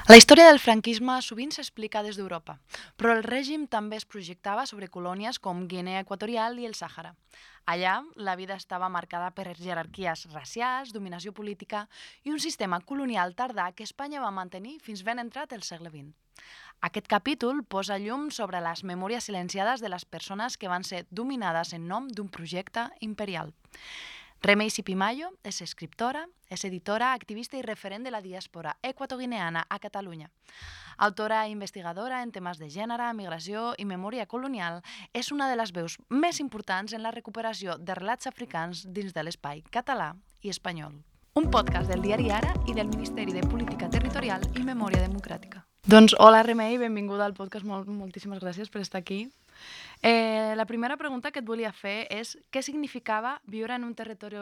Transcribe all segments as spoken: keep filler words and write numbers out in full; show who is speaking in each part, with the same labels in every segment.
Speaker 1: La història del franquisme sovint s'explica des d'Europa, però el règim també es projectava sobre colònies com Guinea Equatorial i el Sàhara. Allà, la vida estava marcada per jerarquies racials, dominació política i un sistema colonial tardà que Espanya va mantenir fins ben entrat el segle vint. Aquest capítol posa llum sobre les memòries silenciades de les persones que van ser dominades en nom d'un projecte imperial. Remei Sipimayo és escriptora, és editora, activista i referent de la diàspora equatoguineana a Catalunya. Autora i investigadora en temes de gènere, migració i memòria colonial, és una de les veus més importants en la recuperació de relats africans dins de l'espai català i espanyol. Un podcast del diari Ara i del Ministeri de Política Territorial i Memòria Democràtica. Doncs hola Remei, benvinguda al podcast, Mol, moltíssimes gràcies per estar aquí. Eh, la primera pregunta que et volia fer és què significava viure en un territori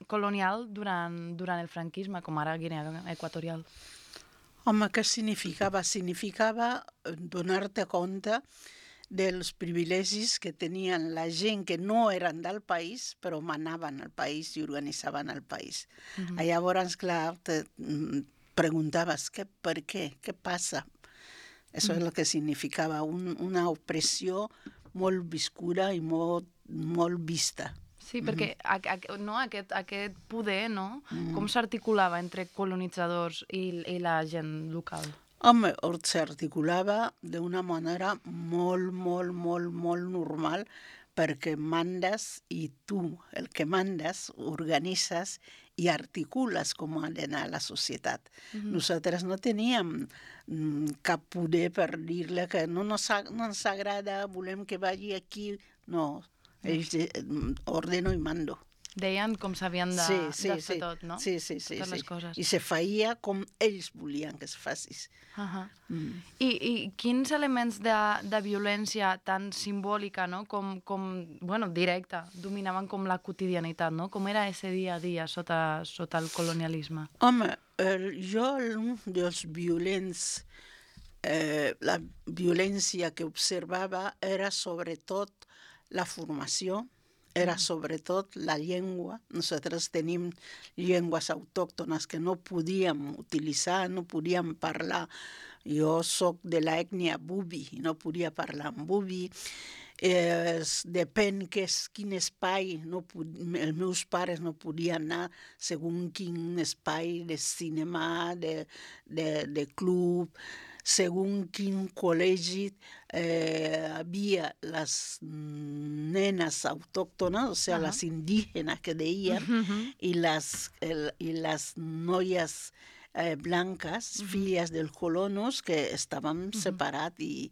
Speaker 1: colonial durant, durant el franquisme, com ara Guinea Equatorial?
Speaker 2: Home, què significava? Significava donar-te compte dels privilegis que tenien la gent que no eren del país, però manaven al país i organitzaven el país. Uh-huh. Llavors, clar, te preguntaves què, per què, què passa? Això és el que significava, un, una opressió molt viscuda i molt, molt vista.
Speaker 1: Sí, perquè a, a, no, aquest, aquest poder, no?
Speaker 2: Mm.
Speaker 1: Com s'articulava entre colonitzadors i, i la gent local?
Speaker 2: Home, s'articulava d'una manera molt, molt, molt, molt normal, perquè mandes i tu, el que mandes, organitzes i articules com ha d'anar la societat. Uh-huh. Nosaltres no teníem mm, cap poder per dir-li que no, no, no ens agrada, volem que vagi aquí. No, ells eh, ordeno i mando.
Speaker 1: Deien com s'havien de,
Speaker 2: sí, sí,
Speaker 1: de fer
Speaker 2: sí.
Speaker 1: tot, no?
Speaker 2: Sí, sí, sí.
Speaker 1: Totes
Speaker 2: sí.
Speaker 1: les coses.
Speaker 2: I se feia com ells volien que es facis.
Speaker 1: Uh-huh.
Speaker 2: Mm.
Speaker 1: I, I quins elements de, de violència tan simbòlica, no? com, com, bueno, directa, dominaven com la quotidianitat, no? Com era ese dia a dia sota, sota el colonialisme?
Speaker 2: Home, eh, jo un dels violents, eh, la violència que observava era sobretot la formació, era sobretot la llengua. Nosaltres tenim llengües autòctones que no podíem utilitzar, no podíem parlar. Jo soc de l'ètnia bubi, no podia parlar en bubi. Eh, depèn que és, quin espai, no pod... els meus pares no podien anar segons quin espai de cinema, de, de, de club, segons quin col·legi eh, havia les nenes autòctones, o sigui, uh-huh. les indígenes que deien, uh-huh. i, les, el, i les noies eh, blanques, uh-huh. filles dels colonos, que estaven uh-huh. separats i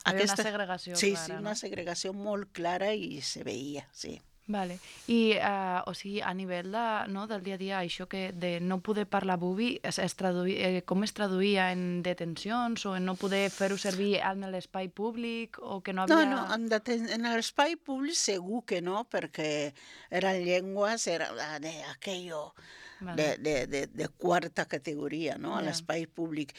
Speaker 1: aquesta... una segregació
Speaker 2: sí,
Speaker 1: clara,
Speaker 2: sí,
Speaker 1: no?
Speaker 2: una segregació molt clara i se veia, sí.
Speaker 1: Vale. I, uh, o sigui, a nivell de, no, del dia a dia, això que de no poder parlar bubi, es, es traduï, eh, com es traduïa en detencions o en no poder fer-ho servir en l'espai públic o que no havia...
Speaker 2: No, no, en, deten... en l'espai públic segur que no, perquè eren llengües, era de aquello vale. de, de, de, de quarta categoria, no?, yeah. a l'espai públic.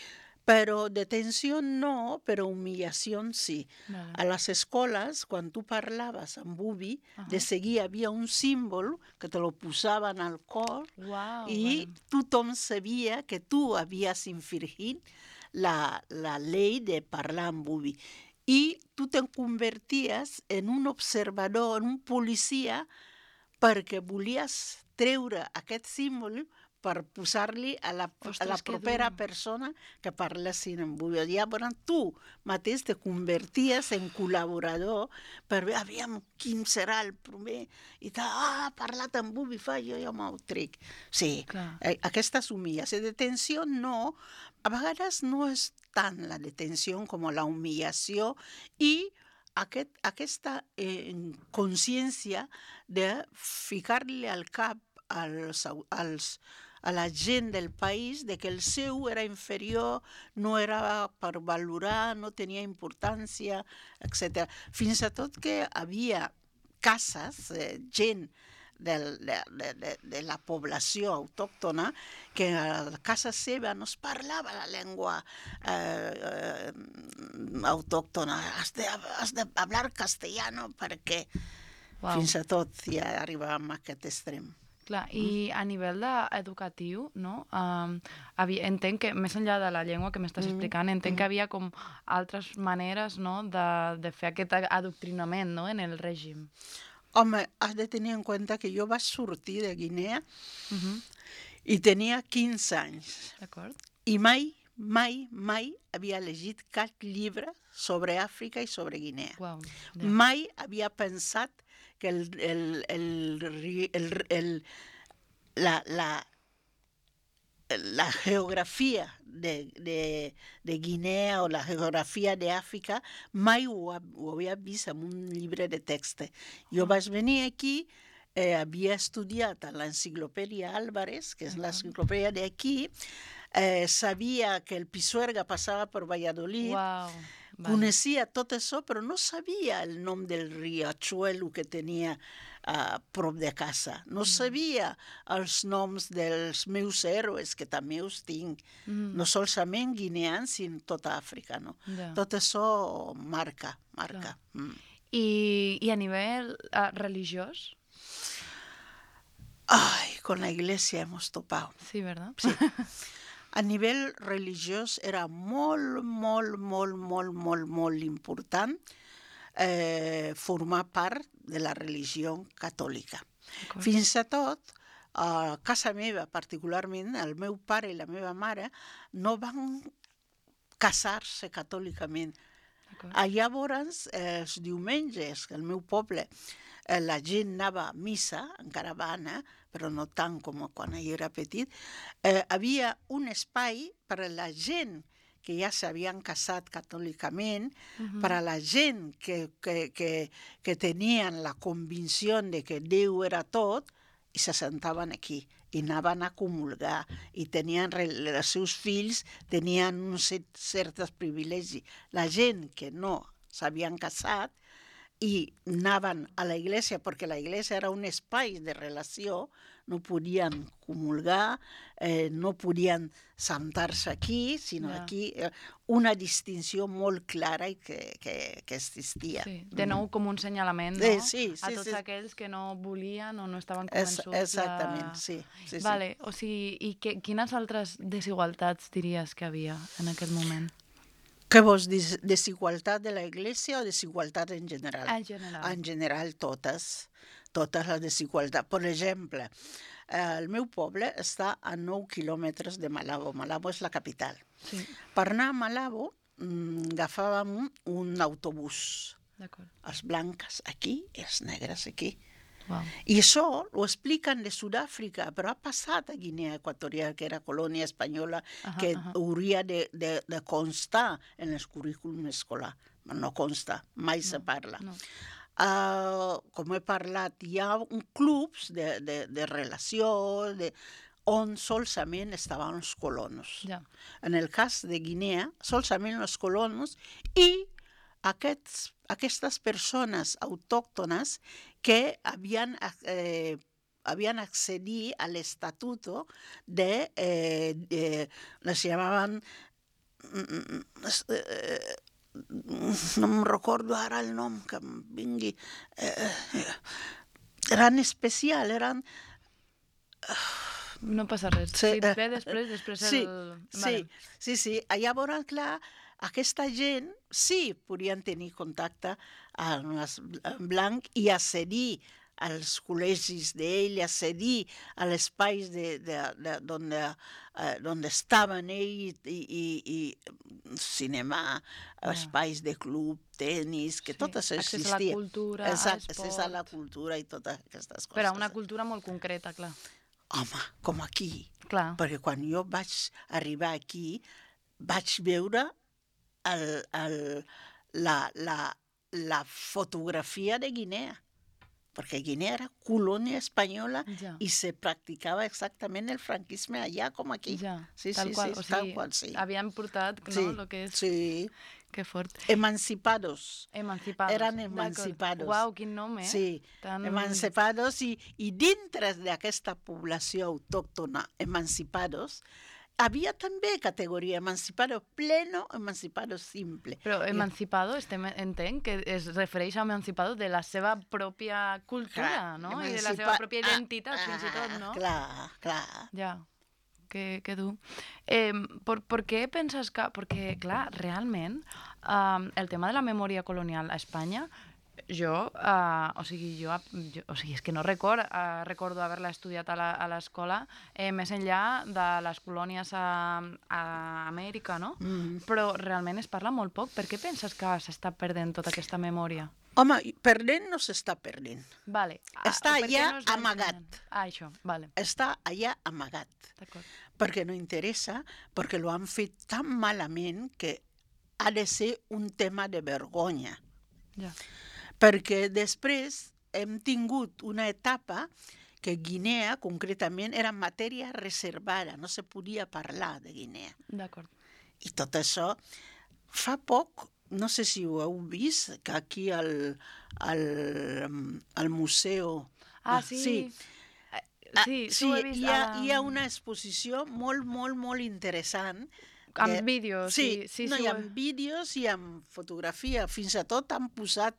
Speaker 2: Però detenció no, però humillació sí. Vale. A les escoles, quan tu parlaves amb bubi, uh-huh. de seguida havia un símbol que te lo posaven al cor
Speaker 1: wow,
Speaker 2: i vale. Tothom sabia que tu havies infringit la, la llei de parlar amb bubi. I tu te converties en un observador, en un policia, perquè volies treure aquest símbol per posar-li a la, Ostres, a la propera persona que parlessin en bubi. Llavors tu mateix te converties en col·laborador per veure, aviam, quin serà el primer, i tal, ah, ha parlat en bubi, fa, jo ja m'ho trec. Sí, eh, aquesta és humillació. Detenció no, a vegades no és tant la detenció com la humillació i aquest, aquesta eh, consciència de ficar-li al cap als, als a la gent del país de que el seu era inferior, no era per valorar, no tenia importància, etcètera. Fins a tot que havia cases, eh, gent del, de, de, de la població autòctona, que a la casa seva no es parlava la llengua eh, eh, autòctona. Has de, has de hablar castellano perquè wow. fins a tot ja arribàvem a aquest extrem.
Speaker 1: Clar, i a nivell de educatiu, no? Um, havia, entenc que, més enllà de la llengua que m'estàs
Speaker 2: Mm,
Speaker 1: explicant, entenc
Speaker 2: mm.
Speaker 1: que havia com altres maneres, no?, de, de fer aquest a- adoctrinament, no?, en el règim.
Speaker 2: Home, has de tenir en compte que jo vaig sortir de Guinea
Speaker 1: Mhm.
Speaker 2: i tenia quinze anys.
Speaker 1: D'acord?
Speaker 2: I mai, mai, mai havia llegit cap llibre sobre Àfrica i sobre Guinea.
Speaker 1: Uau, ja.
Speaker 2: Mai havia pensat que el, el, el, ri- el, el, la, la, la geografia de, de, de Guinea o la geografia d'Àfrica mai ho, ha- ho havia vist en un llibre de text. Jo
Speaker 1: Ah.
Speaker 2: vaig venir aquí, eh, havia estudiat a l'enciclopèdia Álvarez, que és
Speaker 1: D'acord.
Speaker 2: l'enciclopèdia d'aquí, eh, sabia que el Pisuerga passava per Valladolid,
Speaker 1: Uau, vale.
Speaker 2: coneixia tot això, però no sabia el nom del riachuelo que tenia a prop de casa. No sabia els noms dels meus héroes, que també els tinc,
Speaker 1: Mhm.
Speaker 2: no solament guineans, sinó tota Àfrica. No?
Speaker 1: Ja.
Speaker 2: Tot això marca, marca. Mm.
Speaker 1: I, I a nivell uh, religiós?
Speaker 2: Ay, con la iglesia hemos topado.
Speaker 1: Sí, ¿verdad?
Speaker 2: Sí. A nivell religiós era molt, molt, molt, molt, molt, molt important eh, formar part de la religió catòlica.
Speaker 1: D'acord.
Speaker 2: Fins i tot, a casa meva, particularment, el meu pare i la meva mare no van casar-se catòlicament.
Speaker 1: D'acord.
Speaker 2: A llavors, eh, els diumenges, que al meu poble, eh, la gent anava a missa, encara va anar, però no tant com quan jo era petit, eh, havia un espai per a la gent que ja s'havien casat catòlicament,
Speaker 1: Mhm.
Speaker 2: per a la gent que, que, que, que tenien la convicció de que Déu era tot, i se sentaven aquí, i anaven a comulgar, i tenien, re- els seus fills tenien uns cert- certs privilegis. La gent que no s'havien casat i anaven a la iglesia, perquè la iglesia era un espai de relació, no podien comulgar, eh, no podien sentar-se aquí, sinó
Speaker 1: Ja.
Speaker 2: aquí, eh, una distinció molt clara i que, que, que existia.
Speaker 1: Sí, de nou com un senyalament, no?
Speaker 2: Eh, sí,
Speaker 1: a
Speaker 2: sí,
Speaker 1: tots
Speaker 2: sí.
Speaker 1: aquells que no volien o no estaven
Speaker 2: És,
Speaker 1: convençuts
Speaker 2: exactament,
Speaker 1: de...
Speaker 2: sí. sí, sí.
Speaker 1: Vale, o sigui, i que, quines altres desigualtats diries que havia en aquell moment?
Speaker 2: Què vols dir? Desigualtat de la iglesia o desigualtat en general?
Speaker 1: En general.
Speaker 2: En general, totes. Totes les desigualtats. Per exemple, eh, el meu poble està a nou quilòmetres de Malabo. Malabo és la capital.
Speaker 1: Sí,
Speaker 2: Per anar a Malabo mm, agafàvem un, un autobús.
Speaker 1: d'acord.
Speaker 2: Els blancs aquí i els negres aquí.
Speaker 1: Wow.
Speaker 2: I això ho expliquen de Sud-àfrica, però ha passat a Guinea Equatorial, que era colònia espanyola,
Speaker 1: Ahà,
Speaker 2: que
Speaker 1: ahà.
Speaker 2: hauria de, de, de constar en el currículum escolar. No consta, mai se parla.
Speaker 1: No.
Speaker 2: Uh, com he parlat, hi ha un clubs de, de, de relació de, on solament estaven els colonos.
Speaker 1: Ja.
Speaker 2: En el cas de Guinea, solament els colonos i aquests, aquestes persones autòctones que havien, eh, havien accedit al estatuto de, eh, de les llamaven, eh, no em recordo ara el nom que em vingui, eh, eren especial, eren...
Speaker 1: No passa res.
Speaker 2: Sí,
Speaker 1: Si et
Speaker 2: eh,
Speaker 1: ve després, després
Speaker 2: Sí,
Speaker 1: el...
Speaker 2: sí, sí, sí. Llavors, clar, aquesta gent sí podien tenir contacte amb els blancs i accedir als col·legis d'ell, accedir a l'espais de, de, de, d'on, eh, d'on estaven ells i, i, i cinema,
Speaker 1: Ja.
Speaker 2: espais de club, tenis, que
Speaker 1: Sí,
Speaker 2: tot això
Speaker 1: accés
Speaker 2: existia.
Speaker 1: a la cultura, a
Speaker 2: Exacte, accés a la
Speaker 1: l'esport.
Speaker 2: cultura i totes aquestes coses.
Speaker 1: Però una cultura molt concreta, clar.
Speaker 2: Home, com aquí.
Speaker 1: Clar.
Speaker 2: Perquè quan jo vaig arribar aquí, vaig veure el, el, la, la, la fotografia de Guinea. Perquè Guinea era colònia espanyola
Speaker 1: Ja.
Speaker 2: i se practicava exactament el franquisme allà com aquí.
Speaker 1: Ja,
Speaker 2: Sí,
Speaker 1: tal
Speaker 2: sí,
Speaker 1: qual.
Speaker 2: sí,
Speaker 1: o
Speaker 2: tal
Speaker 1: sigui,
Speaker 2: qual, sí.
Speaker 1: havien portat, no?,
Speaker 2: Sí,
Speaker 1: lo que és...
Speaker 2: sí.
Speaker 1: Que fort.
Speaker 2: Emancipados.
Speaker 1: Emancipados.
Speaker 2: Eren
Speaker 1: D'acord.
Speaker 2: emancipados.
Speaker 1: Uau, quin nom, eh?
Speaker 2: Sí,
Speaker 1: Tan...
Speaker 2: emancipados i, i dintre d'aquesta població autòctona emancipados havia també categoria emancipado pleno, emancipado simple.
Speaker 1: Però emancipado, estem, entenc que es refereix a emancipado de la seva pròpia cultura,
Speaker 2: Clar,
Speaker 1: no? I de la
Speaker 2: emancipa-
Speaker 1: seva pròpia
Speaker 2: ah,
Speaker 1: identitat, fins i tot, no?
Speaker 2: Clar, clar.
Speaker 1: Ja, que, que dur. Eh, per, per què penses que... Perquè, clar, realment, eh, el tema de la memòria colonial a Espanya, jo, eh, o sigui, jo, jo, o sigui, és que no record, eh, recordo haver-la estudiat a la- a l'escola, eh, més enllà de les colònies a, a Amèrica, no?
Speaker 2: Mm.
Speaker 1: Però realment es parla molt poc. Per què penses que s'està perdent tota aquesta memòria?
Speaker 2: Home, perdent no s'està perdent.
Speaker 1: Vale.
Speaker 2: Està
Speaker 1: per què
Speaker 2: allà
Speaker 1: no es va
Speaker 2: amagat.
Speaker 1: ensenyant? Ah, això, vale,
Speaker 2: Està allà amagat.
Speaker 1: d'acord.
Speaker 2: Perquè no interessa, perquè lo han fet tan malament que ha de ser un tema de vergonya.
Speaker 1: Ja.
Speaker 2: Perquè després hem tingut una etapa que Guinea, concretament, era matèria reservada, no se podia parlar de Guinea.
Speaker 1: D'acord.
Speaker 2: I tot això, fa poc, no sé si ho heu vist, que aquí al, al, al museu...
Speaker 1: Ah, sí.
Speaker 2: Sí,
Speaker 1: Eh, sí,
Speaker 2: sí,
Speaker 1: ho he vist.
Speaker 2: hi ha,
Speaker 1: a la-
Speaker 2: hi ha una exposició molt, molt, molt interessant.
Speaker 1: Amb
Speaker 2: que-
Speaker 1: vídeos,
Speaker 2: Sí,
Speaker 1: sí, sí,
Speaker 2: no,
Speaker 1: sí,
Speaker 2: hi
Speaker 1: ho
Speaker 2: ha
Speaker 1: he-
Speaker 2: vídeos i amb fotografia. Fins i tot han posat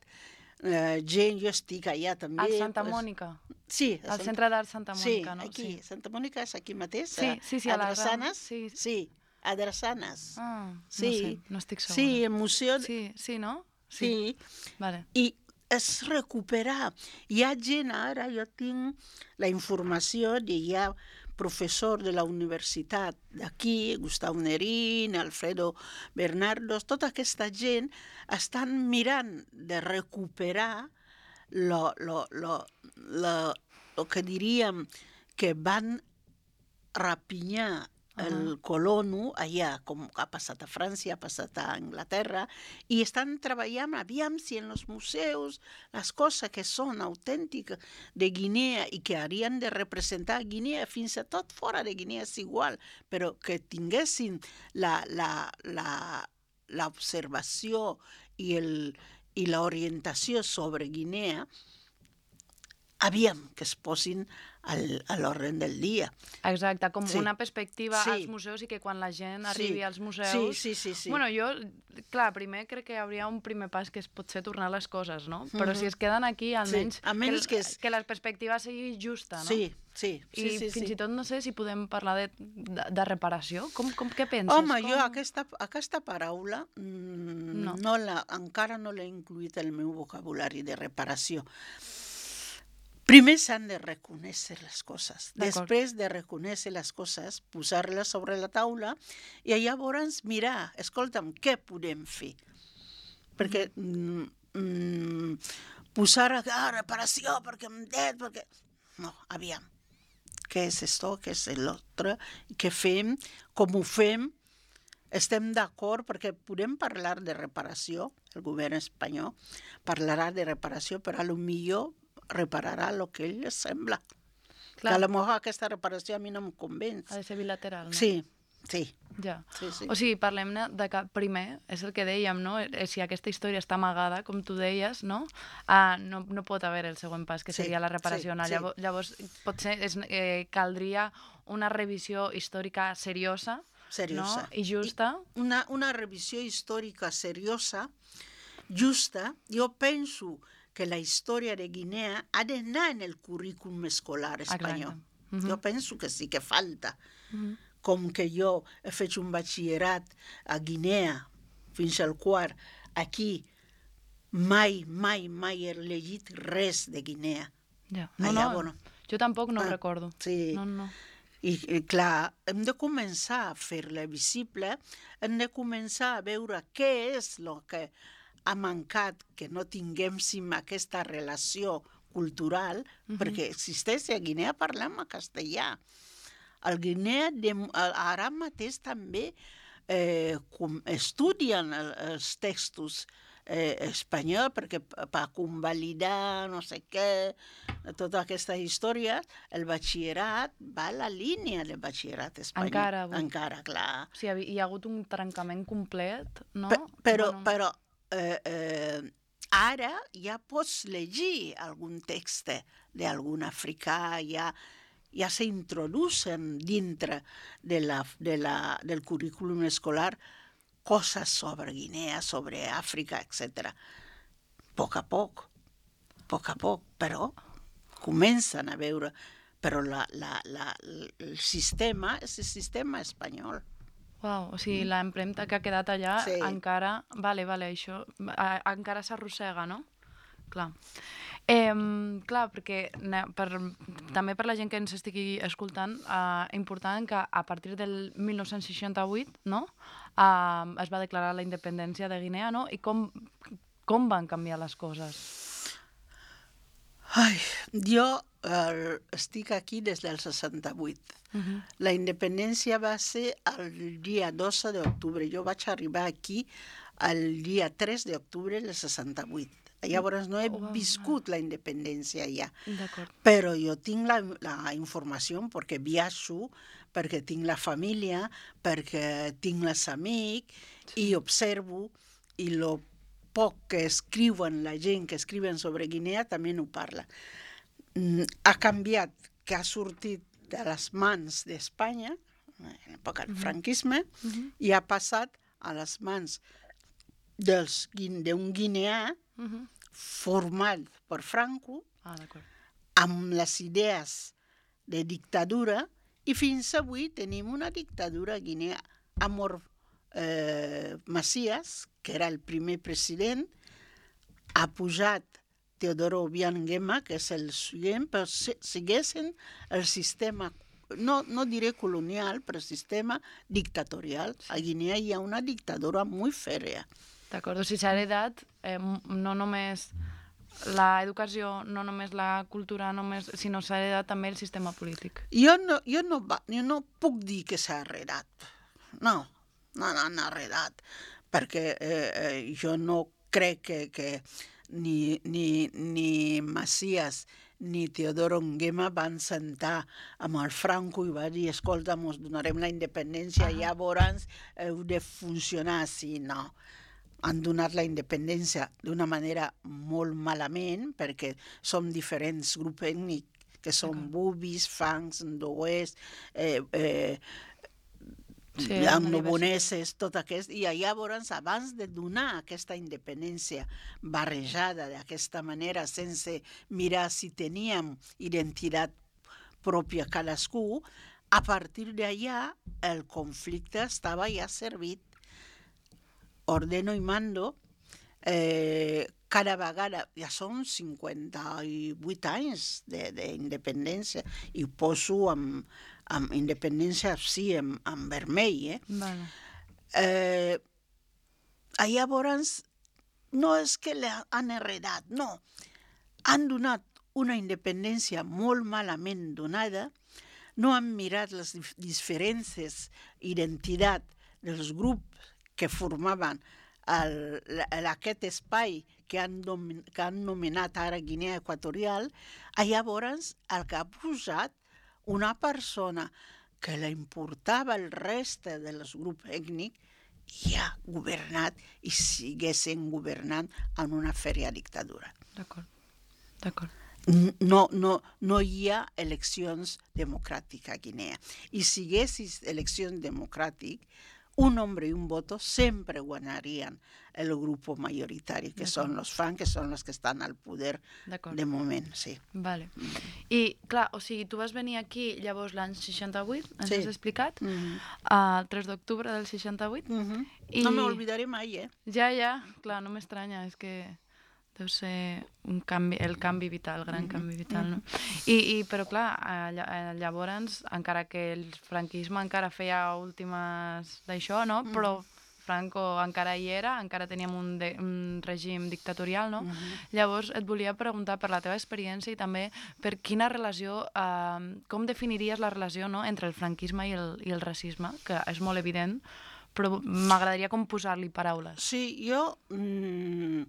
Speaker 2: eh, gent, jo estic allà també.
Speaker 1: Al Santa
Speaker 2: pues,
Speaker 1: Mònica.
Speaker 2: Sí, a
Speaker 1: Al
Speaker 2: Sant-
Speaker 1: Centre d'Art Santa
Speaker 2: sí,
Speaker 1: Mònica, no?
Speaker 2: aquí, Santa Mònica és aquí mateix.
Speaker 1: Sí,
Speaker 2: a-
Speaker 1: sí, sí, a la
Speaker 2: a Drassanes.
Speaker 1: Ram- sí.
Speaker 2: Sí, a Drassanes.
Speaker 1: Ah,
Speaker 2: Sí,
Speaker 1: no sé, no estic segura.
Speaker 2: Sí, el museu...
Speaker 1: Sí, sí, no?
Speaker 2: Sí.
Speaker 1: Vale.
Speaker 2: I és recuperar. Hi ha gent ara, jo tinc la informació de hi ha professor de la universitat d'aquí, Gustau Nerín, Alfredo Bernardos, tota aquesta gent estan mirant de recuperar lo, lo, lo, lo, lo que diríem que van rapinyar el colono allà, com ha passat a França, ha passat a Anglaterra, i estan treballant, aviam si en els museus les coses que són autèntiques de Guinea i que haurien de representar Guinea, fins i tot fora de Guinea és igual, però que tinguessin la, la, la, l'observació i, el, i l'orientació sobre Guinea, aviam que es posin al, a l'ordre del dia.
Speaker 1: Exacte, com
Speaker 2: Sí.
Speaker 1: una perspectiva
Speaker 2: Sí.
Speaker 1: als museus i que quan la gent arribi
Speaker 2: Sí.
Speaker 1: als museus...
Speaker 2: Sí, sí, sí, sí.
Speaker 1: Bueno, jo, clar, primer crec que hi hauria un primer pas que és potser tornar les coses, no? Però
Speaker 2: Mhm.
Speaker 1: si es queden aquí, almenys,
Speaker 2: Sí, almenys
Speaker 1: que,
Speaker 2: que
Speaker 1: el-
Speaker 2: és-
Speaker 1: que la perspectiva sigui justa, no?
Speaker 2: Sí, sí,
Speaker 1: I
Speaker 2: sí, sí,
Speaker 1: fins
Speaker 2: sí.
Speaker 1: i tot no sé si podem parlar de, de, de reparació. Com, com què penses?
Speaker 2: Home,
Speaker 1: com...
Speaker 2: jo aquesta, aquesta paraula mm,
Speaker 1: No.
Speaker 2: no. la, encara no l'he incluït al meu vocabulari de reparació. Primer s'han de reconèixer les coses.
Speaker 1: D'acord.
Speaker 2: Després de reconèixer les coses, posar-les sobre la taula i llavors mirar, escolta'm, què podem fer? Perquè mm, mm, posar a ah, reparació perquè em det, perquè... No, aviam. Què és això, què és l'altre, què fem, com ho fem? Estem d'acord perquè podem parlar de reparació, el govern espanyol parlarà de reparació, però a lo millor repararà el que ell sembla.
Speaker 1: Clar.
Speaker 2: Que a lo millor aquesta reparació a mi no em convenç.
Speaker 1: Ha de ser bilateral, no?
Speaker 2: Sí, sí.
Speaker 1: Ja.
Speaker 2: Sí, sí.
Speaker 1: O sigui, parlem-ne de que primer, és el que dèiem, no? Eh, Si aquesta història està amagada, com tu deies, no? Ah, no, no pot haver el següent pas, que
Speaker 2: Sí,
Speaker 1: seria la reparació.
Speaker 2: sí,
Speaker 1: no?
Speaker 2: sí.
Speaker 1: Llavors, llavors, potser és, eh, caldria una revisió històrica seriosa,
Speaker 2: Seriosa.
Speaker 1: no? I justa.
Speaker 2: I una, una revisió històrica seriosa, justa, jo penso que la història de Guinea ha d'anar en el currículum escolar espanyol.
Speaker 1: Exacte. Mhm.
Speaker 2: Jo penso que sí que falta.
Speaker 1: Mhm.
Speaker 2: Com que jo he fet un batxillerat a Guinea fins al quart, aquí mai, mai, mai he llegit res de Guinea.
Speaker 1: Ja. No,
Speaker 2: Allà,
Speaker 1: no,
Speaker 2: bueno.
Speaker 1: jo tampoc no ho
Speaker 2: Ah,
Speaker 1: recordo.
Speaker 2: sí.
Speaker 1: No, no.
Speaker 2: I, i clar, hem de començar a fer-la visible, hem de començar a veure què és el que ha mancat, que no tinguem aquesta relació cultural,
Speaker 1: Mhm.
Speaker 2: perquè existeix a Guinea parlem a castellà. Al Guinea de, ara mateix també eh, com estudien el, els textos eh, espanyols perquè per convalidar no sé què, tota aquesta història, el batxillerat va a la línia del batxillerat espanyol.
Speaker 1: Encara avui.
Speaker 2: Encara, clar.
Speaker 1: O sigui, hi ha hagut un trencament complet, no?
Speaker 2: Pe- però,
Speaker 1: Bueno,
Speaker 2: però eh, eh, ara ja pots llegir algun text d'algun africà, ja, ja s'introducen dintre de la, de la, del currículum escolar coses sobre Guinea, sobre Àfrica, etcètera. A poc a poc, a poc a poc, però comencen a veure, però la, la, la, el sistema és el sistema espanyol.
Speaker 1: Uau, o sigui, l'empremta que ha quedat allà
Speaker 2: Sí.
Speaker 1: encara... Vale, vale, això a, encara s'arrossega, no? Clar. Eh, clar, perquè ne- per, també per la gent que ens estigui escoltant, eh, important que a partir del mil nou-cents seixanta-vuit, no?, eh, es va declarar la independència de Guinea, no? I com, com van canviar les coses?
Speaker 2: Ai, jo eh, estic aquí des del seixanta-vuit.
Speaker 1: Uh-huh.
Speaker 2: La independència va ser el dia dotze d'octubre. Jo vaig arribar aquí el dia tres d'octubre del seixanta-vuit. Llavors no he
Speaker 1: Oh,
Speaker 2: viscut la independència ja.
Speaker 1: D'acord.
Speaker 2: Però jo tinc la, la informació perquè viatjo, perquè tinc la família, perquè tinc els amics, sí. I observo, i lo poc que escriuen la gent que escriuen sobre Guinea també no parla. Mm, ha canviat, que ha sortit de les mans d'Espanya, en l'època del franquisme,
Speaker 1: Uh-huh.
Speaker 2: i ha passat a les mans dels, d'un guineà
Speaker 1: Uh-huh.
Speaker 2: format per Franco,
Speaker 1: Ah, d'acord.
Speaker 2: amb les idees de dictadura, i fins avui tenim una dictadura a Guinea. Amor eh, Macias, que era el primer president, ha pujat Teodoro Obiang Nguema, que és el següent, però si, segueixen el sistema, no, no diré colonial, però sistema dictatorial. A Guinea hi ha una dictadura molt fèrrea.
Speaker 1: D'acord, o sigui, s'ha heredat eh, no només l'educació, no només la cultura, només, sinó s'ha heredat també el sistema polític.
Speaker 2: Jo no, jo no, va, jo no puc dir que s'ha heredat. No, no, no han heredat, perquè eh, eh, jo no crec que, que ni, ni, ni Macias ni Teodoro Nguema van sentar amb el Franco i va dir, escolta, mos donarem la independència, uh-huh. Llavors heu de funcionar així. No. Han donat la independència d'una manera molt malament, perquè som diferents grups ètnics, que són bubis, fangs, ndoès, eh, eh,
Speaker 1: sí,
Speaker 2: noboneses, tot aquest. I llavors, abans de donar aquesta independència barrejada d'aquesta manera, sense mirar si teníem identitat pròpia cadascú, a partir d'allà el conflicte estava ja servit. Ordeno i mando, eh, cada vegada, ja són cinquanta-vuit anys d'independència, i poso amb, amb independència, sí, amb, amb vermell. Eh?
Speaker 1: Vale.
Speaker 2: Eh, llavors, no és que l'han heredat, no. Han donat una independència molt malament donada, no han mirat les diferències d'identitat dels grups que formaven el, aquest espai que han, domin, que han nomenat ara Guinea Equatorial, llavors el que ha posat una persona que la importava el reste dels grups ètnics ja ha governat i siguessin governant en una fèrria dictadura.
Speaker 1: D'acord, d'acord.
Speaker 2: No, no, no hi ha eleccions democràtiques a Guinea. I si hi haguessis eleccions democràtiques, un hombre i un voto sempre guanyarien el grup majoritari, que són els fans, que són els que estan al poder de moment, sí.
Speaker 1: Vale. I, clar, o sigui, tu vas venir aquí llavors l'any seixanta-vuit, ens
Speaker 2: Sí.
Speaker 1: has explicat,
Speaker 2: Mm-hmm.
Speaker 1: el tres d'octubre del seixanta-vuit.
Speaker 2: Mm-hmm.
Speaker 1: I...
Speaker 2: No m'oblidaré mai, eh?
Speaker 1: Ja, ja, clar, no m'estranya, és que deu ser un canvi, el canvi vital, el gran
Speaker 2: Mm-hmm.
Speaker 1: canvi vital, no? I, i però clar, llavors, encara que el franquisme encara feia últimes d'això, no? Però Franco encara hi era, encara teníem un, de, un règim dictatorial, no?
Speaker 2: Mm-hmm.
Speaker 1: Llavors et volia preguntar per la teva experiència i també per quina relació, eh, com definiries la relació, no?, entre el franquisme i el, i el racisme, que és molt evident, però m'agradaria com posar-li paraules.
Speaker 2: Sí, jo... Mm,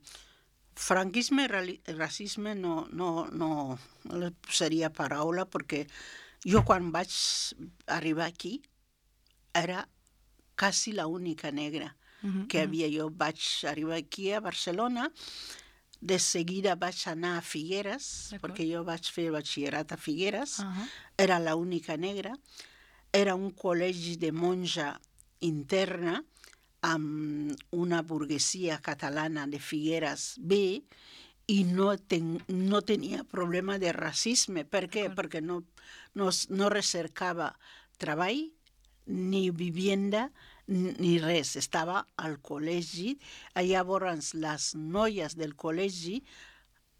Speaker 2: franquisme i racisme no, no, no, no li posaria paraula, perquè jo quan vaig arribar aquí era quasi l'única negra
Speaker 1: Uh-huh,
Speaker 2: que havia. Jo vaig arribar aquí a Barcelona de seguida vaig anar a Figueres, perquè jo vaig fer batxillerat a Figueres, uh -huh. Era l'única negra, era un col·legi de monja interna amb una burguesia catalana de Figueres B, i no, ten, no tenia problema de racisme. Per què? Perquè no, no, no recercava treball, ni vivienda, ni res. Estava al col·legi. Llavors, les noies del col·legi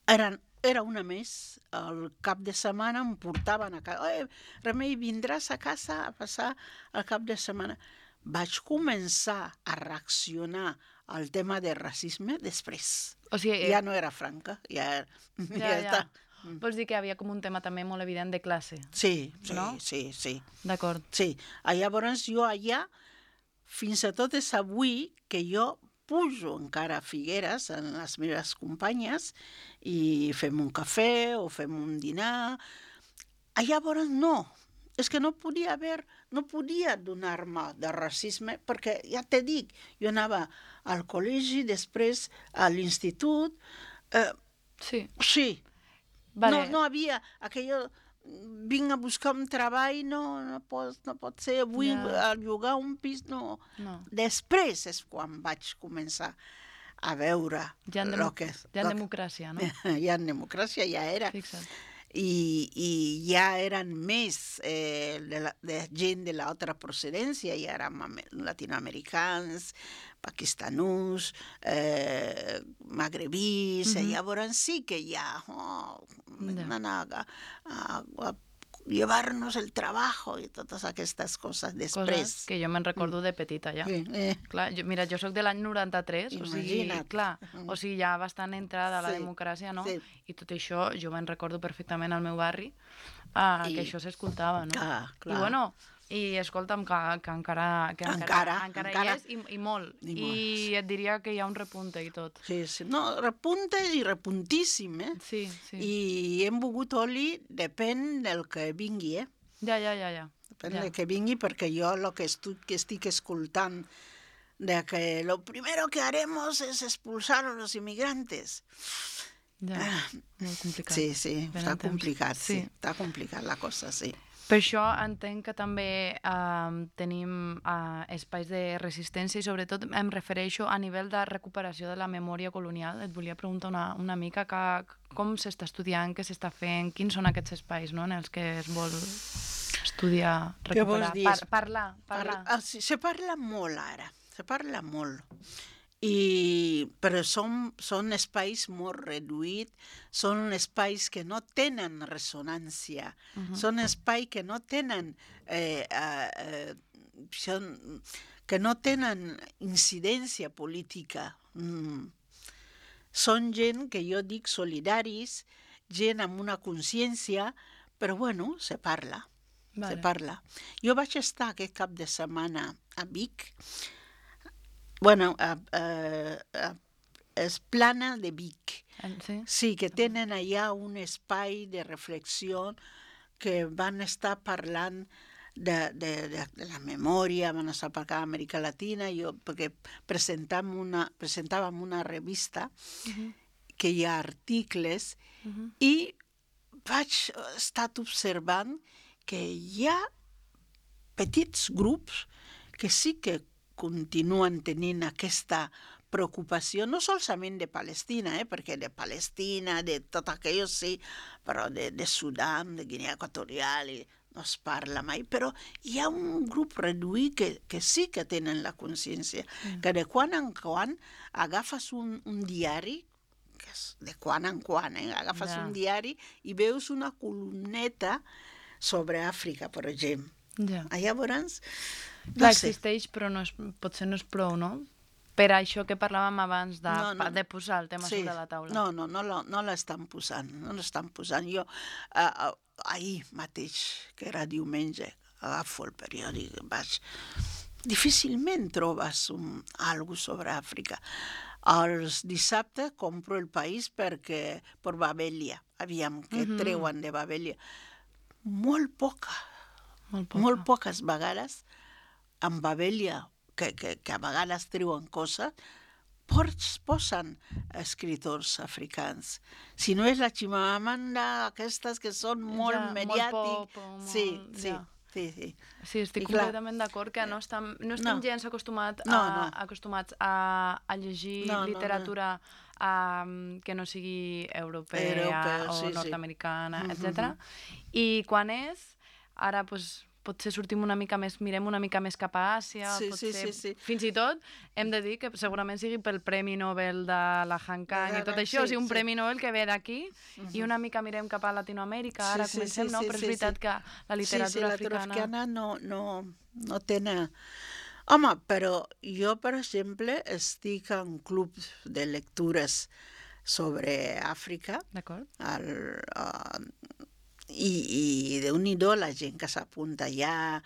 Speaker 2: eren, era una més. El cap de setmana em portaven a casa. Eh, Remei, vindràs a casa a passar el cap de setmana. Vaig començar a reaccionar al tema del racisme després.
Speaker 1: O sigui,
Speaker 2: ja no era franca, ja,
Speaker 1: ja, ja, ja. està. Vols dir que hi havia com un tema també molt evident de classe?
Speaker 2: Sí, sí,
Speaker 1: no?
Speaker 2: sí, sí.
Speaker 1: D'acord.
Speaker 2: Sí, llavors jo allà, fins i tot és avui que jo pujo encara a Figueres amb les meves companyes i fem un cafè o fem un dinar. Llavors no, és que no podia haver, no podia donar-me de racisme, perquè ja t'he dit, jo anava al col·legi, després a l'institut. Eh,
Speaker 1: sí.
Speaker 2: Sí.
Speaker 1: Vale.
Speaker 2: No, no havia aquello, vinc a buscar un treball, no, no, pot, no pot ser, vull ja. llogar un pis, no.
Speaker 1: no.
Speaker 2: Després és quan vaig començar a veure
Speaker 1: ja en,
Speaker 2: lo que,
Speaker 1: ja en democràcia, no?
Speaker 2: Ja en democràcia ja era.
Speaker 1: Fixa't.
Speaker 2: I, i ja eren més eh, de, la, de gent de l'altra procedència, ja érem latinoamericans, pakistanús, eh, magrebís, uh-huh. Llavors sí que ja oh, van a, a, a llevar-nos el treball i totes aquestes coses després.
Speaker 1: Coses que jo me'n recordo de petita ja.
Speaker 2: Sí, eh.
Speaker 1: Clar, jo, mira, jo soc de l'any noranta-tres, o sigui, clar, o sigui, ja bastant entrada a la
Speaker 2: sí,
Speaker 1: democràcia, no?
Speaker 2: Sí.
Speaker 1: I tot això jo me'n recordo perfectament al meu barri, uh, I... que això s'escoltava, no?
Speaker 2: Clar, clar.
Speaker 1: I bueno, i escolta'm, que, que encara, que encara,
Speaker 2: encara,
Speaker 1: encara,
Speaker 2: encara
Speaker 1: hi és, i, i molt.
Speaker 2: I,
Speaker 1: I
Speaker 2: molt.
Speaker 1: et diria que hi ha un repunte i tot.
Speaker 2: Sí, sí. No, repunte i repuntíssim, eh?
Speaker 1: Sí, sí.
Speaker 2: I hem begut oli, depèn del que vingui, eh?
Speaker 1: Ja, ja, ja, ja.
Speaker 2: Depèn
Speaker 1: ja.
Speaker 2: del que vingui, perquè jo el que, estic, que estic escoltant de que lo primero que haremos es expulsar a los inmigrantes.
Speaker 1: Ja, molt complicat.
Speaker 2: Sí, sí,
Speaker 1: Ben
Speaker 2: està complicat, sí.
Speaker 1: sí.
Speaker 2: Està complicat la cosa, sí.
Speaker 1: Per això entenc que també eh, tenim eh, espais de resistència i sobretot em refereixo a nivell de recuperació de la memòria colonial. Et volia preguntar una, una mica que, com s'està estudiant, què s'està fent, quins són aquests espais, no?, en els que es vol estudiar, recuperar, par parlar. parlar.
Speaker 2: Par se, se parla molt ara, se parla molt. I, però són, són espais molt reduïts, són espais que no tenen ressonància, uh-huh. Són espais que no tenen eh, eh, són, que no tenen incidència política. Mm. Són gent que jo dic solidaris, gent amb una consciència, però bueno, se parla, vale. se parla. Jo vaig estar aquest cap de setmana a Vic. Bueno, a, a, a, és Plana de Vic.
Speaker 1: Sí?
Speaker 2: Sí, que tenen allà un espai de reflexió que van estar parlant de, de, de, de la memòria, van estar parlant d'Amèrica Latina, jo, perquè presentàvem una, presentàvem una revista uh-huh. que hi ha articles uh-huh. i vaig estar observant que hi ha petits grups que sí que continuen tenint aquesta preocupació, no solament de Palestina, eh, perquè de Palestina, de tot aquello sí, però de, de Sudan, de Guinea Equatorial, i no es parla mai, però hi ha un grup reduït que, que sí que tenen la consciència, mm. que de quan en quan agafes un, un diari, que és de quan en quan, eh, agafes yeah. un diari i veus una columneta sobre Àfrica, per exemple.
Speaker 1: Yeah.
Speaker 2: Llavors, no
Speaker 1: Clar,
Speaker 2: sé.
Speaker 1: existeix, però no és, potser no és prou, no? Per això que parlàvem abans de,
Speaker 2: no, no,
Speaker 1: de posar el tema sí. sobre la taula.
Speaker 2: No, no, no, no, no l'estan posant, no l'estan posant. Jo, uh, uh, ahir mateix, que era diumenge, agafo el periòdic, vaig... Difícilment trobes un, algo sobre Àfrica. Els dissabtes compro El País perquè, per Babelia, aviam, que mm-hmm. treuen de Babelia. Molt poca,
Speaker 1: molt, poca.
Speaker 2: molt poques vegades, amb Babelia, que, que, que a vegades treuen coses, pos, posen escriptors africans. Si no és la Chimamanda, aquestes que són molt
Speaker 1: ja,
Speaker 2: mediàtic.
Speaker 1: Molt pop, molt...
Speaker 2: Sí, sí,
Speaker 1: ja.
Speaker 2: sí, sí.
Speaker 1: Sí, estic
Speaker 2: I clar,
Speaker 1: completament d'acord que no estem, no estem
Speaker 2: no.
Speaker 1: gens acostumat a,
Speaker 2: No, no.
Speaker 1: acostumats a, a llegir
Speaker 2: No, no,
Speaker 1: literatura um, que no sigui europea
Speaker 2: Europea,
Speaker 1: o
Speaker 2: sí, sí.
Speaker 1: nord-americana,
Speaker 2: Mhm,
Speaker 1: etcètera. I quan és, ara pues, potser sortim una mica més, mirem una mica més cap a Àsia,
Speaker 2: Sí,
Speaker 1: potser,
Speaker 2: sí, sí, sí.
Speaker 1: fins i tot hem de dir que segurament sigui pel Premi Nobel de la Han Kang
Speaker 2: De
Speaker 1: i tot
Speaker 2: la-
Speaker 1: això,
Speaker 2: sí,
Speaker 1: o sigui, un
Speaker 2: sí.
Speaker 1: Premi Nobel que ve d'aquí i una mica mirem cap a Latinoamèrica, ara
Speaker 2: Sí, sí,
Speaker 1: comencem,
Speaker 2: sí,
Speaker 1: no?
Speaker 2: sí,
Speaker 1: Però és
Speaker 2: sí,
Speaker 1: veritat
Speaker 2: sí.
Speaker 1: que la
Speaker 2: Sí, sí,
Speaker 1: literatura
Speaker 2: la
Speaker 1: africana...
Speaker 2: africana no, no, no tenen... Home, però jo, per exemple, estic en club de lectures sobre Àfrica,
Speaker 1: D'acord.
Speaker 2: el, uh, i, i déu-n'hi-do la gent que s'apunta allà,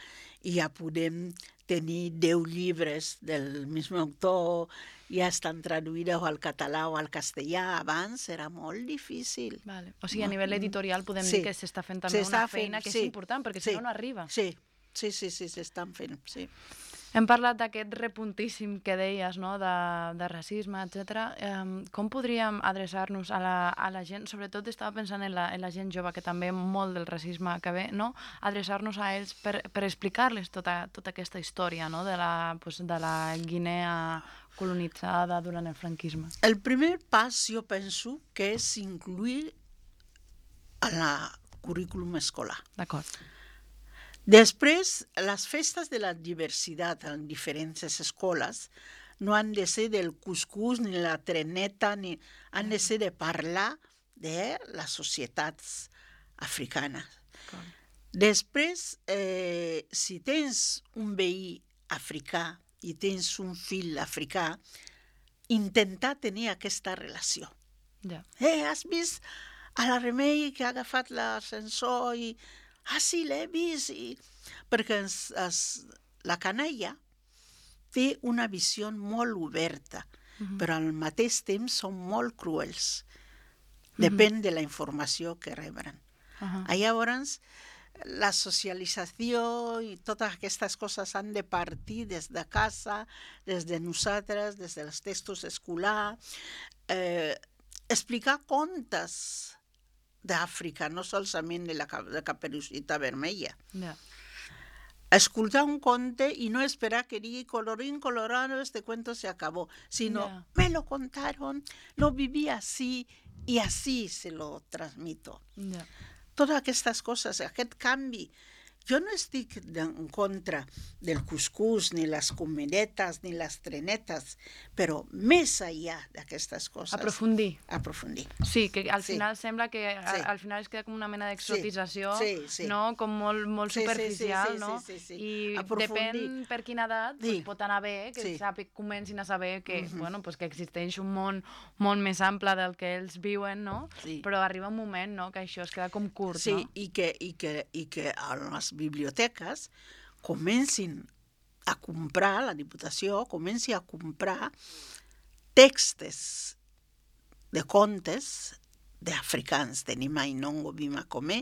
Speaker 2: i ja podem tenir deu llibres del mismo autor, ja estan traduïdes al català o al castellà. Abans era molt difícil.
Speaker 1: Vale. O sigui, a nivell editorial podem
Speaker 2: Sí.
Speaker 1: dir que s'està fent també
Speaker 2: S'està
Speaker 1: una feina
Speaker 2: fent,
Speaker 1: que
Speaker 2: sí,
Speaker 1: és important, perquè
Speaker 2: sí,
Speaker 1: si no, no arriba.
Speaker 2: Sí, sí, sí, sí, s'estan fent, sí.
Speaker 1: Hem parlat d'aquest repuntíssim que deies, no?, de, de racisme, etcètera. Um, com podríem adreçar-nos a la, a la gent, sobretot estava pensant en la, en la gent jove, que també molt del racisme que ve, no?, adreçar-nos a ells per, per explicar-les tota, tota aquesta història, no?, de la, pues, de la Guinea colonitzada durant el franquisme.
Speaker 2: El primer pas, jo penso, que és incluir a la currículum escolar.
Speaker 1: D'acord.
Speaker 2: Després, les festes de la diversitat en diferents escoles no han de ser del cuscús ni la treneta, ni... han de ser de parlar de les societats africanes. Després, eh, si tens un veí africà i tens un fill africà, intentar tenir aquesta relació.
Speaker 1: Ja.
Speaker 2: Eh, has vist a la Remei que ha agafat l'ascensor i... Ah, sí, l'he vist. I... Perquè es, es, la canalla té una visió molt oberta, uh-huh. però al mateix temps són molt cruels. Depèn uh-huh. de la informació que rebran. Uh-huh. Llavors, la socialització i totes aquestes coses han de partir des de casa, des de nosaltres, des dels textos escolars, eh, explicar contes d'Àfrica, no solament de la de Caperucita Vermella.
Speaker 1: Yeah.
Speaker 2: Escoltar un conte y no esperar que diga colorín colorado, este cuento se acabó, sino
Speaker 1: yeah.
Speaker 2: me lo contaron, lo viví así y así se lo transmito.
Speaker 1: Yeah.
Speaker 2: Totes aquestes coses, aquest canvi. Jo no estic en contra del cuscús, ni les comedetes, ni les trenetes, però més enllà d'aquestes coses...
Speaker 1: Aprofundir.
Speaker 2: Aprofundir.
Speaker 1: Sí, que al
Speaker 2: sí.
Speaker 1: final sembla que a,
Speaker 2: sí.
Speaker 1: al final es queda com una mena d'exotització,
Speaker 2: sí. sí, sí.
Speaker 1: no? Com molt, molt
Speaker 2: sí,
Speaker 1: superficial,
Speaker 2: sí, sí,
Speaker 1: no?
Speaker 2: Sí, sí, sí.
Speaker 1: I
Speaker 2: Aprofundir.
Speaker 1: depèn per quina edat,
Speaker 2: sí.
Speaker 1: pues, pot anar bé, que
Speaker 2: sí.
Speaker 1: sàpic, comencin a saber que,
Speaker 2: uh-huh.
Speaker 1: bueno, pues, que existeix un món molt més ample del que ells viuen, no?
Speaker 2: Sí.
Speaker 1: Però arriba un moment, no?, que això es queda com curt,
Speaker 2: sí,
Speaker 1: no?
Speaker 2: Sí, i que, i, que, i que a les biblioteques comencin a comprar, la Diputació comenci a comprar textos de contes d'africans. Tenim a Inongo Bimacomé,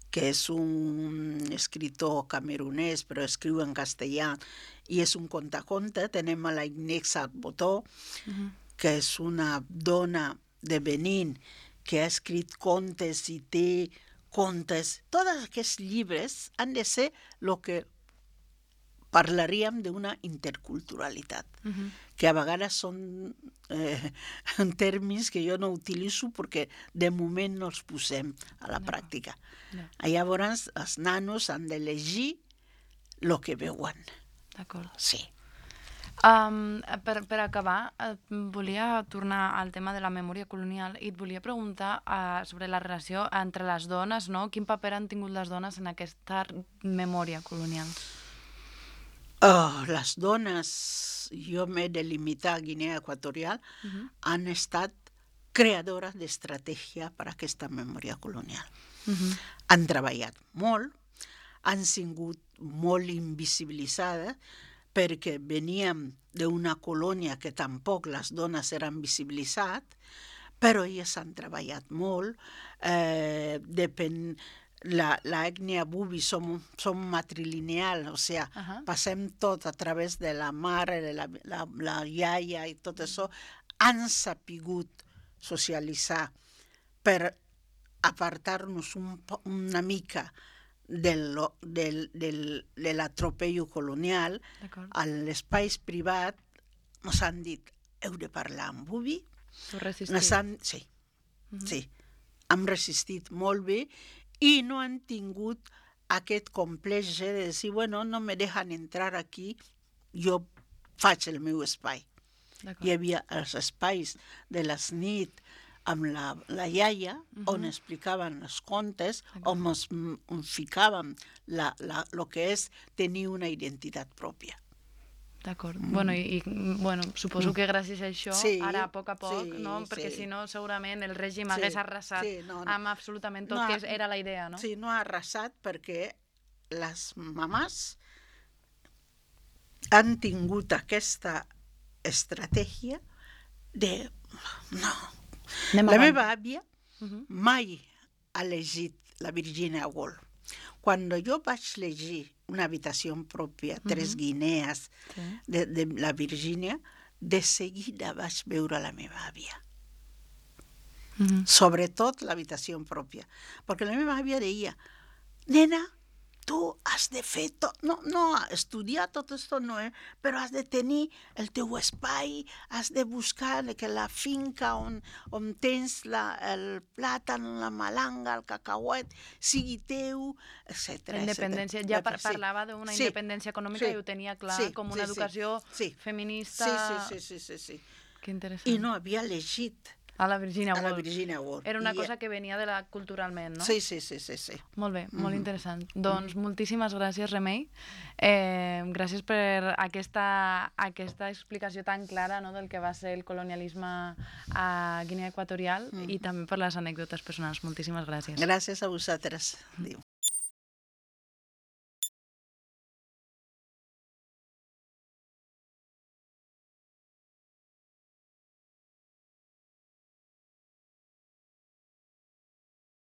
Speaker 2: que és un escritor camerunès, però escriu en castellà, i és un contaconte. Tenem a la Inés Botó, uh-huh. que és una dona de Benín, que ha escrit contes i té contes. Tots aquests llibres han de ser el que parlaríem d'una interculturalitat, uh-huh. que a vegades són eh, termes que jo no utilitzo perquè de moment no els posem a la no. pràctica. No. Llavors, els nanos han de llegir el que veuen.
Speaker 1: D'acord.
Speaker 2: Sí.
Speaker 1: Um, per, per acabar, eh, volia tornar al tema de la memòria colonial i et volia preguntar uh, sobre la relació entre les dones, no? Quin paper han tingut les dones en aquesta memòria colonial?
Speaker 2: Oh, les dones, jo m'he de limitar a Guinea Equatorial, uh-huh. han estat creadores d'estratègia per a aquesta memòria colonial. Uh-huh. Han treballat molt, han sigut molt invisibilitzades, perquè veníem d'una colònia que tampoc les dones eren visibilitzades, però elles han treballat molt, eh, depèn, la, la ètnia bubi som, som matrilineal, o sigui, uh -huh. passem tot a través de la mare, de la, la, la iaia i tot això, han sapigut socialitzar per apartar-nos un, una mica del, del, del, de l'atropello colonial. A l'espai privat ens han dit, heu de parlar en bubi.
Speaker 1: Tu resistit?
Speaker 2: Han, sí, uh -huh. sí. Hem resistit molt bé i no han tingut aquest complex de dir, bueno, no me dejan entrar aquí, jo faig el meu espai. Hi havia els espais de les nit amb la, la iaia, uh -huh. on explicaven els contes, on ens on ficàvem la, la, lo que és tenir una identitat pròpia.
Speaker 1: D'acord. Mm. Bueno, i, i bueno, suposo que gràcies a això,
Speaker 2: sí,
Speaker 1: ara a poc a poc,
Speaker 2: sí,
Speaker 1: no? Perquè
Speaker 2: sí.
Speaker 1: si no, segurament el règim
Speaker 2: sí,
Speaker 1: hagués arrasat
Speaker 2: sí, no, no.
Speaker 1: amb absolutament tot,
Speaker 2: no,
Speaker 1: que era la idea, no?
Speaker 2: Sí, no ha arrasat perquè les mamàs han tingut aquesta estratègia de... No. Anem la meva àvia uh -huh. mai ha llegit la Virginia Woolf. Quan jo vaig llegir Una habitació pròpia, Tres uh -huh. guinees, sí. de, de la Virginia, de seguida vaig veure la meva àvia. Uh -huh. Sobretot l'habitació pròpia. Perquè la meva àvia deia, nena, tu has de fer tot, no, no, estudiar tot això no, eh? Però has de tenir el teu espai, has de buscar que la finca on, on tens la, el plàtan, la malanga, el cacauet, sigui teu, etcètera.
Speaker 1: La independència, ja par parlava d'una sí. independència econòmica sí. i ho tenia clar, sí. com una sí, educació
Speaker 2: sí.
Speaker 1: feminista...
Speaker 2: Sí, sí, sí, sí, sí.
Speaker 1: Que interessant.
Speaker 2: I no havia llegit.
Speaker 1: A la Virginia Woolf.
Speaker 2: A la Virginia Woolf.
Speaker 1: Era una cosa que venia de la culturalment, no?
Speaker 2: Sí, sí, sí, sí. sí.
Speaker 1: Molt bé, molt mm-hmm. interessant. Doncs mm-hmm. moltíssimes gràcies, Remei. Eh, gràcies per aquesta, aquesta explicació tan clara, no?, del que va ser el colonialisme a Guinea Equatorial mm-hmm. i també per les anècdotes personals. Moltíssimes gràcies.
Speaker 2: Gràcies a vosaltres. Adéu.